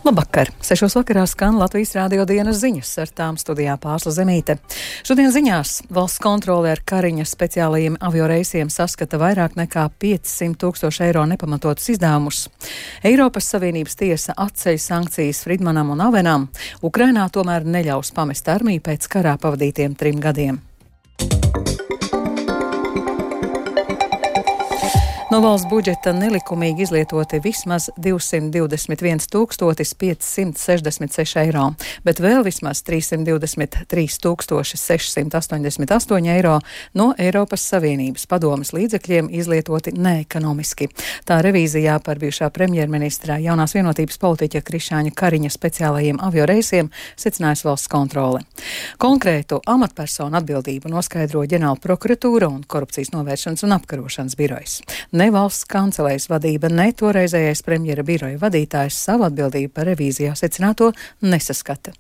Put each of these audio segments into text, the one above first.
Labvakar! 6. vakarā skan Latvijas Rādio dienas ziņas, ar tām studijā Pārsla Zemīte. Šodien ziņās valsts kontrole ar Kariņa speciālajiem avioreisiem saskata vairāk nekā 500 000 eiro nepamatotus izdevumus. Eiropas Savienības tiesa atceļ sankcijas Fridmanam un Avenam. Ukrainā tomēr neļaus pamest armiju pēc karā pavadītiem 3 gadiem. No valsts budžeta nelikumīgi izlietoti vismaz 221 566 eiro, bet vēl vismaz 323 688 eiro no Eiropas Savienības padomes līdzekļiem izlietoti neekonomiski. Tā revīzijā par bijušā premjerministra jaunās vienotības politiķa Krišāņa Kariņa speciālajiem avioreisiem secinājusi valsts kontrole. Konkrētu amatpersonu atbildību noskaidro ģenerāla prokuratūra un korupcijas novēršanas un apkarošanas birojas. Ne valsts kancelējas vadība, ne toreizējais premjera biroja vadītājs savu atbildību par revīzijā secināto nesaskata.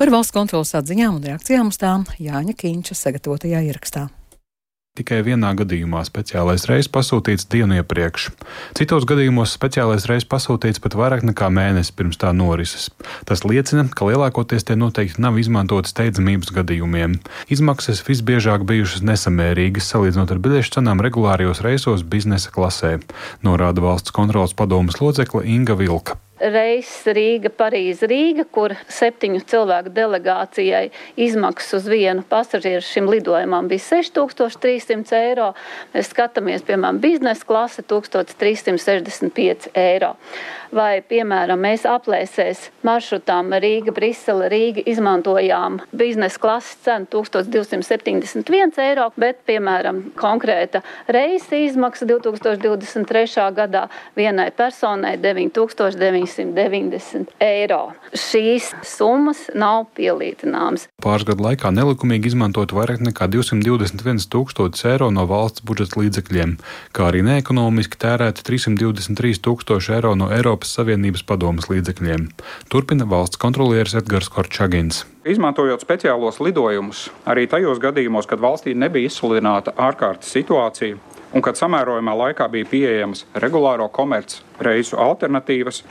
Par valsts kontrolas atziņām un reakcijām uz tām Jāņa Kīņša sagatavotajā ierakstā. Tikai vienā gadījumā speciālais reiss pasūtīts dienu iepriekš. Citos gadījumos speciālais reiss pasūtīts pat vairāk nekā mēnesi pirms tā norises. Tas liecina, ka lielākoties tie noteikti nav izmantoti steidzamības gadījumiem. Izmaksas visbiežāk bijušas nesamērīgas, salīdzinot ar biļešu cenām regulārijos reisos biznesa klasē, norāda valsts kontrolas padomes locekle Inga Vilka. Reiss Rīga, Parīze, Rīga, kur 7 cilvēku delegācijai izmaksas uz vienu pasažieru šim lidojumam bija 6300 eiro. Mēs skatāmies, piemēram, biznesa klase 1365 eiro. Vai, piemēram, mēs aplēsēs maršrutām Rīga, Brisele, Rīga izmantojām biznesa klases cenu 1271 eiro, bet, piemēram, konkrēta reisa izmaksa 2023. gadā vienai personai 9990 eiro. Šīs summas nav pielīdzināmas. Pāris gadu laikā nelikumīgi izmantot vairāk nekā 221 000 eiro no valsts budžeta līdzekļiem, kā arī neekonomiski tērēt 323 000 eiro no Eiropas Savienības padomes līdzekļiem. Turpina valsts kontrolieris Edgars Korčagins. Izmantojot speciālos lidojumus, arī tajos gadījumos, kad valstī nebija izsludināta ārkārtas situācija, un kad samērojumā laikā bija pieejamas regulāro komerc reisu alternatīvas,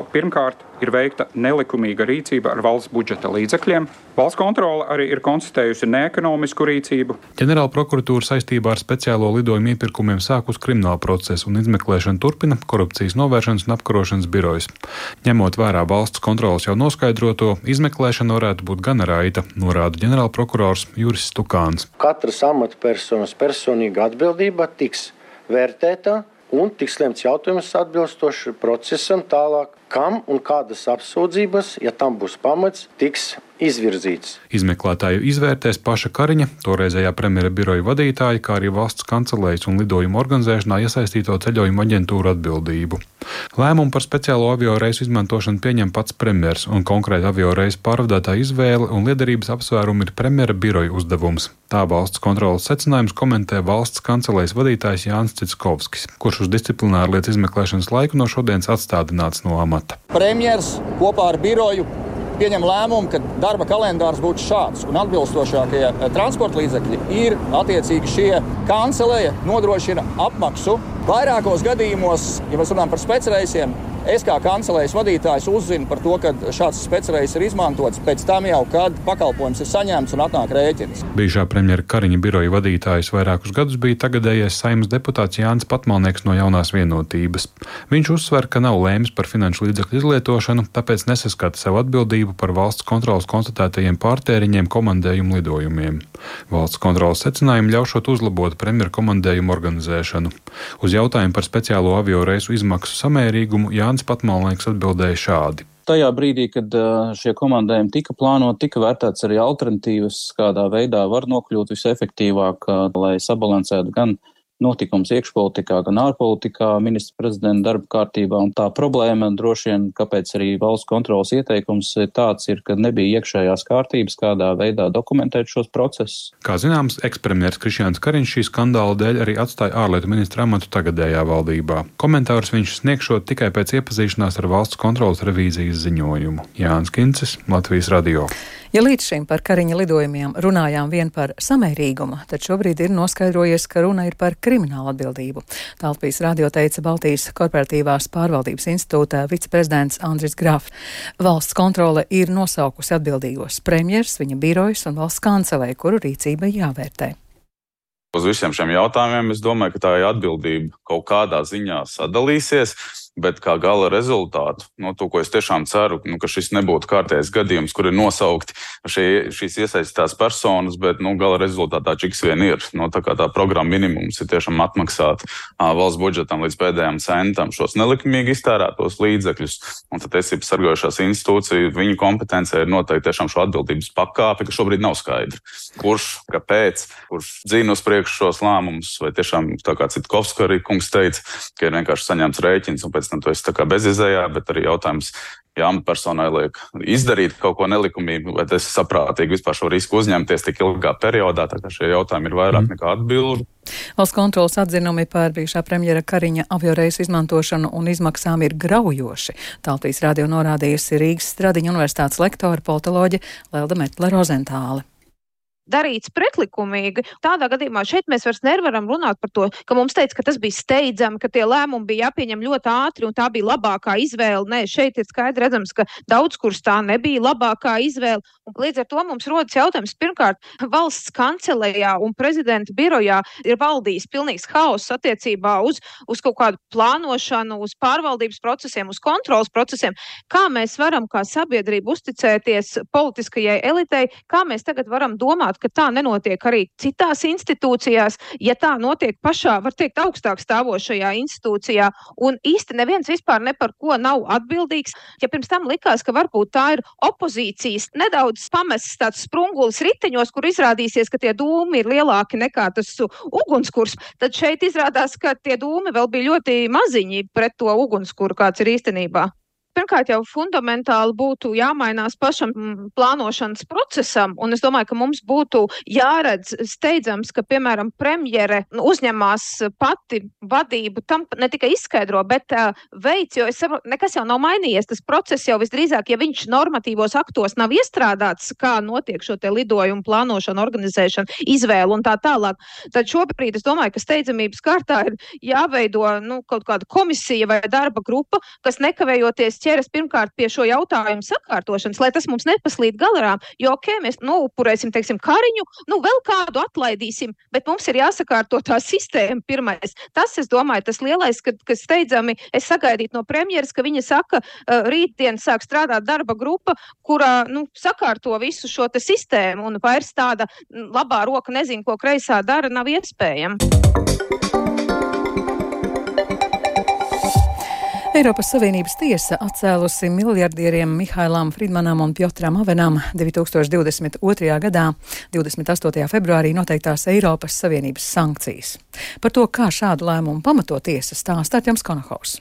pirmkārt ir veikta nelikumīga rīcība ar valsts budžeta līdzekļiem. Valsts kontrole arī ir konstatējusi neekonomisku rīcību. Ģenerāla prokuratūra saistībā ar speciālo lidojumu iepirkumiem sākus kriminālu procesu un izmeklēšanu turpina korupcijas novēršanas un apkarošanas birojas. Ņemot vērā valsts kontroles jau noskaidroto, izmeklēšana varētu būt gana raita, norāda ģenerāla prokurors Juris Stukāns. Katras amatpersonas personīga atbildība tiks vērtēta un tiks lemts jautājums atbilstoši procesam tālāk, kam un kādas apsūdzības, ja tam būs pamats, tiks izvirzīts. Izmeklētāju izvērtēs paša Kariņa, toreizējā premjera biroja vadītāja, kā arī valsts kancelējas un lidojumu organizēšanā iesaistīto ceļojumu aģentūru atbildību. Lēmumu par speciālo avio reisu izmantošanu pieņem pats premjers, un konkrēti avio reisu pārvadātāja izvēle un liederības apsvērumi ir premjera biroja uzdevums. Tā valsts kontrolas secinājums komentē valsts kancelējas vadītājs Jānis Citskovskis, kurš uz disciplināru lietu izmeklēšanas laiku no šodienas atstādināts no amata. Premjers kopā ar biroju pieņem lēmumu, ka darba kalendārs būtu šāds, un atbilstošākie transporta līdzekļi ir attiecīgi šie kancelēja nodrošina apmaksu. Vairākos gadījumos, ja mēs runājam par specreisiem, es kā kancelējas vadītājs uzzinu par to, ka šāds specreis ir izmantots pēc tam jau, kad pakalpojums ir saņemts un atnāk rēķins. Bijušā premjera Kariņa biroja vadītājs vairākus gadus bija tagadējais Saeimas deputāts Jānis Patmalnieks no Jaunās vienotības. Viņš uzsver, ka nav lēmis par finanšu līdzekļu izlietošanu, tāpēc nesaskata sev atbildību par valsts kontrolas konstatētajiem pārtēriņiem komandējumu lidojumiem. Valsts kontrolas secinājumi ļaušot uzlabot premjera komandējumu organizēšanu. Uz jautājumu par speciālo avio reisu izmaksu samērīgumu Jānis Patmalnieks atbildēja šādi. Tajā brīdī, kad šie komandējumi tika plānoti, tika vērtēts arī alternatīvas, kādā veidā var nokļūt visefektīvāk, lai sabalansētu gan notikums iekšpolitikā, gan ārpolitikā, ministra prezidenta darba kārtībā. Un tā problēma droši vien, kāpēc arī valsts kontrolas ieteikums tāds ir, ka nebija iekšējās kārtības, kādā veidā dokumentēt šos procesus. Kā zināms, ekspremjers Krišjāns Kariņš šī skandāla dēļ arī atstāja ārlietu ministra amatu tagadējā valdībā. Komentārus viņš sniegšot tikai pēc iepazīšanās ar valsts kontrolas revīzijas ziņojumu. Jānis Kincis, Latvijas radio. Ja līdz šim par Kariņa lidojumiem runājām vien par samērīgumu, tad šobrīd ir noskaidrojies, ka runa ir par kriminālu atbildību. Tā Latvijas radio teica Baltijas korporatīvās pārvaldības institūta viceprezidents Andris Grafs. Valsts kontrole ir nosaukusi atbildīgos premjers, viņa birojas un valsts kancelei, kuru rīcība jāvērtē. Uz visiem šiem jautājumiem es domāju, ka tā atbildība kaut kādā ziņā sadalīsies. Bet kā gala rezultātu, to, ko es tiešām ceru, ka šis nebūtu kārtējs gadījums, kur ir nosaukti šīs iesaistītās personas, bet gala rezultātā čiks vien ir. Tā kā tā programma minimums ir tiešām atmaksāt valsts budžetam līdz pēdējām centam šos nelikumīgi iztērētos līdzekļus. Un tad tiesības sargājošās institūcija, viņu kompetencija ir noteikti tiešām šo atbildības pakāpi, ka šobrīd nav skaidra. Kurš, kāpēc, kurš dzina uz priekšu šos lēmumus, vai tiešām, tā kā Citkovska arī kungs teica, ka ir vienkārši saņemts rēķins un pēc tam tu esi tā kā bezizējā, bet arī jautājums, ja amatpersonai liek izdarīt kaut ko nelikumīgu, vai tas ir saprātīgi vispār šo risku uzņemties tik ilgā periodā, tā kā šie jautājumi ir vairāk nekā atbildi. Valsts kontrolas atzinumi par bijušā premjera Kariņa avioreisu izmantošanu un izmaksām ir graujoši. Tā Latvijas radio norādījusi Rīgas Stradiņa universitātes lektore politoloģe Lelda Metle-Rozentāle. Darīts pretlikumīgi. Tādā gadījumā šeit mēs vairs nevaram runāt par to, ka mums teica, ka tas bija steidzami, ka tie lēmumi bija jāpieņem ļoti ātri un tā bija labākā izvēle. Nē, šeit ir skaidri redzams, ka daudz kur tā nebija labākā izvēle. Un līdz ar to mums rodas jautājums, pirmkārt, valsts kancelejā un prezidenta birojā ir valdījis pilnīgs haoss attiecībā uz kaut kādu plānošanu, uz pārvaldības procesiem, uz kontrolas procesiem. Kā mēs varam kā sabiedrība uzticēties politiskajai elitei, kā mēs tagad varam domāt, ka tā nenotiek arī citās institūcijās, ja tā notiek pašā, var teikt, augstāk stāvošajā institūcijā, un īsti neviens vispār ne par ko nav atbildīgs. Ja pirms tam likās, ka varbūt tā ir opozīcijas nedaudz pamests tāds sprungulis riteņos, kur izrādīsies, ka tie dūmi ir lielāki nekā tas ugunskurs, tad šeit izrādās, ka tie dūmi vēl bija ļoti maziņi pret to ugunskuru, kāds ir īstenībā. Pirmkārt, jau fundamentāli būtu jāmainās pašam plānošanas procesam, un es domāju, ka mums būtu jāredz steidzams, ka, piemēram, premjere uzņemās pati vadību, tam ne tikai izskaidro, bet veids, jo es saprotu, nekas jau nav mainījies, tas process jau visdrīzāk, ja viņš normatīvos aktos nav iestrādāts, kā notiek šo te lidojumu plānošanu, organizēšanu, izvēlu un tā tālāk, tad šobrīd es domāju, ka steidzamības kārtā ir jāveido kaut kāda komisija vai darba grupa, kas nekavējoties ķeras pirmkārt pie šo jautājumu sakārtošanas, lai tas mums nepaslīd garām, jo mēs upurēsim, teiksim, Kariņu, vēl kādu atlaidīsim, bet mums ir jāsakārto tā sistēma pirmais. Tas, es domāju, tas lielais, ka steidzami es sagaidītu no premjeras, ka viņa saka, rītdien sāk strādāt darba grupa, kurā, sakārto visu šo te sistēmu, un vairs tāda labā roka nezinu, ko kreisā dara, nav iespējama. Eiropas Savienības tiesa atcēlusi miljardieriem Mihailam Fridmanam un Pjotram Avenam 2022. gadā 28. februārī noteiktās Eiropas Savienības sankcijas. Par to, kā šādu lēmumu pamato tiesa, stāsta Artjoms Konohaus.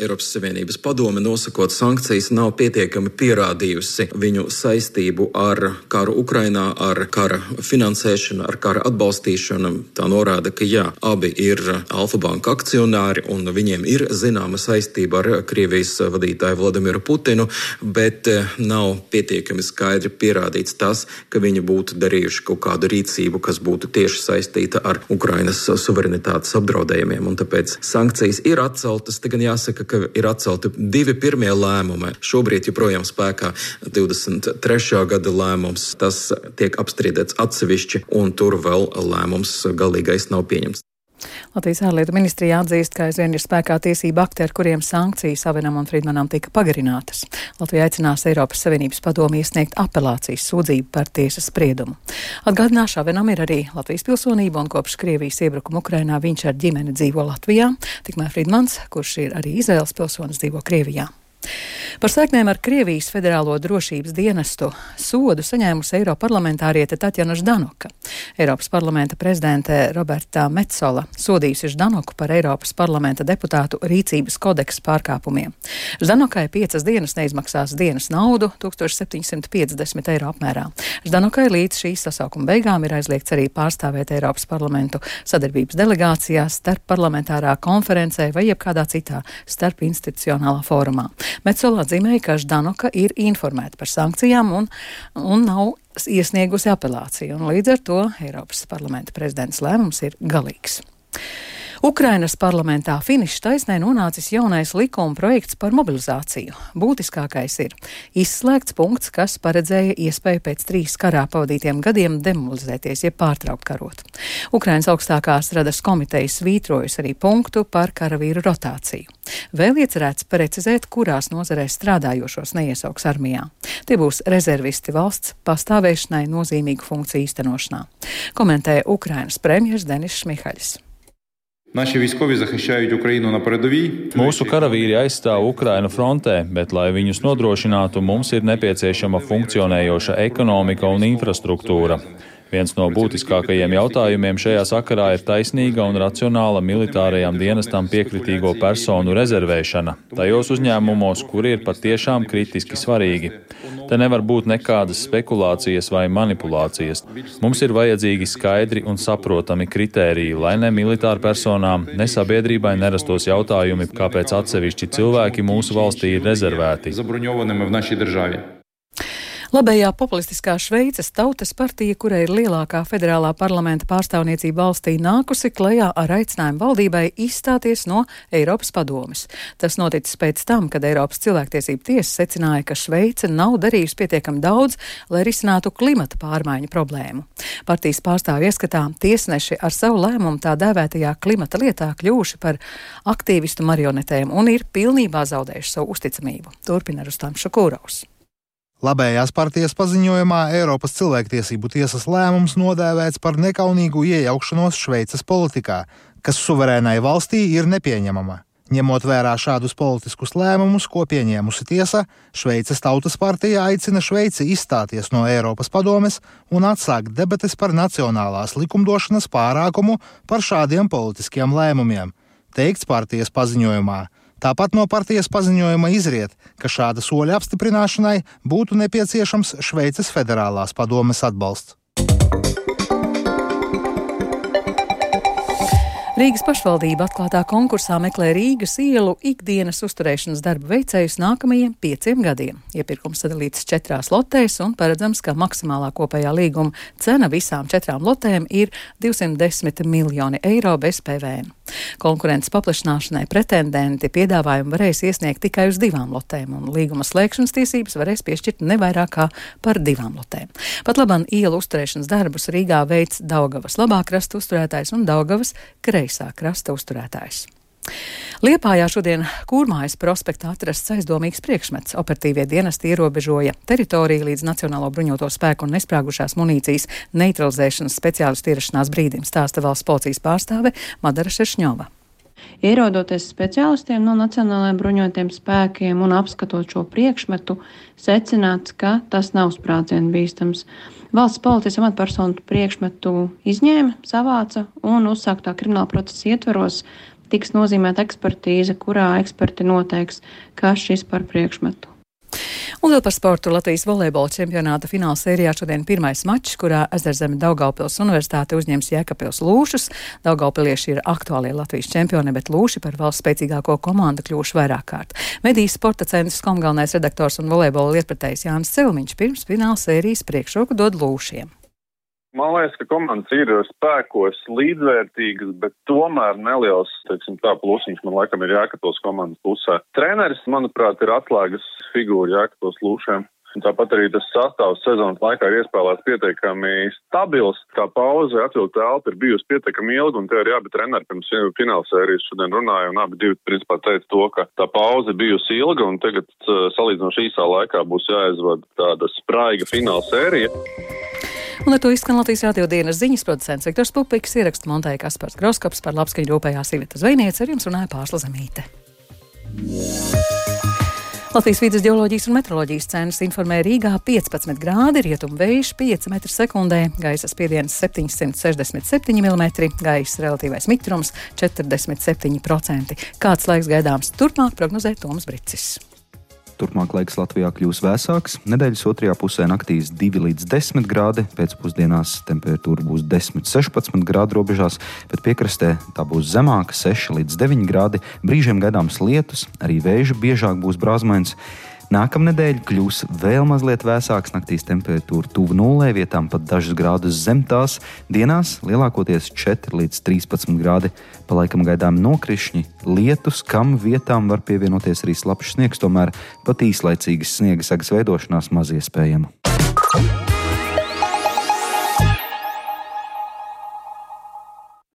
Eiropas Savienības padome, nosakot sankcijas, nav pietiekami pierādījusi viņu saistību ar karu Ukrainā, ar kara finansēšanu, ar kara atbalstīšanu. Tā norāda, ka jā, abi ir Alfa Banka akcionāri un viņiem ir zināma saistība ar Krievijas vadītāju Vladimiru Putinu, bet nav pietiekami skaidri pierādīts tas, ka viņi būtu darījuši kaut kādu rīcību, kas būtu tieši saistīta ar Ukrainas suverenitātes apdraudējumiem. Un tāpēc sankcijas ir atceltas, te gan jāsaka, ka ir atcelti 2 pirmie lēmumi. Šobrīd joprojām spēkā 23. gada lēmums. Tas tiek apstrīdēts atsevišķi, un tur vēl lēmums galīgais nav pieņemts. Latvijas ārlietu ministrija atzīst, ka aizvien ir spēkā tiesība akti, ar kuriem sankcijas Avenam un Fridmanam tika pagarinātas. Latvija aicinās Eiropas Savienības padomi iesniegt apelācijas sūdzību par tiesas spriedumu. Atgādināšu, Avenam ir arī Latvijas pilsonība, un kopš Krievijas iebrukuma Ukrainā viņš ar ģimeni dzīvo Latvijā, tikmēr Fridmans, kurš ir arī Izraēlas pilsonis, dzīvo Krievijā. Par saiknēm ar Krievijas Federālo drošības dienestu sodu saņēmusi eiroparlamentāriete Tatjana Ždanoka. Eiropas parlamenta prezidente Roberta Metsola sodījusi Ždanoku par Eiropas parlamenta deputātu rīcības kodeksa pārkāpumiem. Ždanokai 5 dienas neizmaksās dienas naudu 1750 eiro apmērā. Ždanokai līdz šīs sasaukuma beigām ir aizliegts arī pārstāvēt Eiropas parlamentu sadarbības delegācijās, starp parlamentārā konferencē vai jebkādā citā starp institucionālā fórumā. Metsola atzīmēja, ka Ždanoka ir informēta par sankcijām un nav iesniegusi apelāciju, un līdz ar to Eiropas parlamenta prezidents lēmums ir galīgs. Ukrainas parlamentā finiša taisnē nonācis jaunais likuma projekts par mobilizāciju. Būtiskākais ir izslēgts punkts, kas paredzēja iespēju pēc 3 karā pavadītiem gadiem demobilizēties, jeb pārtraukt karot. Ukrainas augstākās radas komiteja svītrojas arī punktu par karavīru rotāciju. Vēl iecerēts precizēt, kurās nozarēs strādājošos neiesauks armijā. Tie būs rezervisti valsts pastāvēšanai nozīmīgu funkciju īstenošanā. Komentē Ukrainas premjers Denis Šmihaļs. Mūsu karavīri aizstāv Ukrainu frontē, bet, lai viņus nodrošinātu, mums ir nepieciešama funkcionējoša ekonomika un infrastruktūra. Viens no būtiskākajiem jautājumiem šajā sakarā ir taisnīga un racionāla militārajam dienestam piekritīgo personu rezervēšana tajos uzņēmumos, kuri ir patiešām kritiski svarīgi. Te nevar būt nekādas spekulācijas vai manipulācijas. Mums ir vajadzīgi skaidri un saprotami kritēriji, lai ne militāru personām, ne sabiedrībai nerastos jautājumi, kāpēc atsevišķi cilvēki mūsu valstī ir rezervēti. Labējā populistiskā Šveices Tautas partija, kurai ir lielākā federālā parlamenta pārstāvniecība valstī, nākusi klajā ar aicinājumu valdībai izstāties no Eiropas padomes. Tas noticis pēc tam, kad Eiropas cilvēktiesību tiesa secināja, ka Šveice nav darījusi pietiekami daudz, lai risinātu klimata pārmaiņu problēmu. Partijas pārstāvju ieskatā tiesneši ar savu lēmumu tā dēvētajā klimata lietā kļuvuši par aktīvistu marionetēm un ir pilnībā zaudējuši savu uzticamību. Turpina Rustams Šukūrovs. Labējās partijas paziņojumā Eiropas cilvēktiesību tiesas lēmums nodēvēts par nekaunīgu iejaukšanos Šveices politikā, kas suverēnai valstī ir nepieņemama. Ņemot vērā šādus politiskus lēmumus, ko pieņēmusi tiesa, Šveices Tautas partija aicina Šveici izstāties no Eiropas padomes un atsākt debates par nacionālās likumdošanas pārākumu par šādiem politiskiem lēmumiem, teikts partijas paziņojumā. Tāpat no partijas paziņojuma izriet, ka šāda soļa apstiprināšanai būtu nepieciešams Šveices federālās padomes atbalsts. Rīgas pašvaldība atklātā konkursā meklē Rīgas ielu ikdienas uzturēšanas darbu veicējus nākamajiem 5 gadiem. Iepirkums sadalīts 4 lotēs un paredzams, ka maksimālā kopējā līguma cena visām 4 lotēm ir 210 miljoni eiro bez PVN. Konkurences paplašināšanai pretendenti piedāvājumu varēs iesniegt tikai uz 2 lotēm, un līguma slēgšanas tiesības varēs piešķirt ne vairāk kā par 2 lotēm. Pat labam ielu uzturēšanas darbus Rīgā veic Daugavas labā krasta uzturētājs un Daugavas kreisā krasta uzturētājs. Liepājā šodien Kūrmājas prospektā atrasts aizdomīgs priekšmets. Operatīvie dienesti ierobežoja teritoriju līdz Nacionālo bruņoto spēku un nesprāgušās munīcijas neutralizēšanas speciālistu ierašanās brīdim, stāsta valsts policijas pārstāve Madara Šeršņova. Ierodoties speciālistiem no Nacionālajiem bruņotajiem spēkiem un apskatot šo priekšmetu, secināts, ka tas nav sprādzienu bīstams. Valsts policijas amatpersonu priekšmetu izņēma, savāca un uzsāktā krimināla procesa ietveros tiks nozīmēta ekspertīze, kurā eksperti noteiks, kas šis par priekšmetu. Un vēl par sportu. Latvijas volejbola čempionāta fināla sērijā šodien pirmais mačs, kurā Ezerzeme Daugavpils universitāte uzņems Jēkabpils Lūšus. Daugavpilieši ir aktuālie Latvijas čempioni, bet Lūši par valsts spēcīgāko komandu kļuvuši vairāk kārt. Medijas sporta centrs kom galvenais redaktors un volejbola lietpratējs Jānis Celmiņš pirms fināla sērijas priekšroku dod Lūšiem. Man liekas, ka komandas ir spēkos līdzvērtīgas, bet tomēr neliels, plusiņš man laikam ir Jēkabpils komandas pusē. Treneris, manuprāt, ir atslēgas figūra Jēkabpils Lūšiem. Tāpat arī tas sastāvs sezonas laikā ir iespēlēts pietiekami stabils. Tā pauze atvilkta elpa ir bijusi pietiekami ilga, un te arī abi treneri pirms fināla sērijas šodien runāja, un abi divi principā teica to, ka tā pauze bijusi ilga, un tagad salīdzinoši īsā laikā būs jāizvada tāda spraiga fināla sērija. Un ar to izskan Latvijas radio dienas ziņas, producents Viktors Pupiks, ierakstu montēja Kaspars Groskops, par labskaņu rūpējās Iveta Zvejniece, ar jums runāja Pārsla Zemīte. Latvijas vides ģeoloģijas un meteoroloģijas centrs informē Rīgā 15 grādi, rietumu vējš 5 metri sekundē, gaisa spiediens 767 mm, gaisa relatīvais mitrums 47%. Kāds laiks gaidāms turpmāk, prognozē Toms Bricis. turpmāk laiks Latvijā kļūs vēsāks. Nedēļas otrajā pusē naktīs 2 līdz 10 grādi, pēcpusdienās temperatūra būs 10–16 grādu robežās, bet piekrastē tā būs zemāka 6 līdz 9 grādi. Brīžiem gaidāms lietus, arī vējš biežāk būs brāzmains. Nākamnedēļ kļūs vēl mazliet vēsāks, naktīs temperatūra tuvu nulē, vietām pat dažus grādus zem tās, dienās lielākoties 4 līdz 13 grādi. Pa laikam gaidām nokrišņi, lietus, kam vietām var pievienoties arī slapjš sniegs, tomēr pat īslaicīgas sniega segas veidošanās maz iespējama.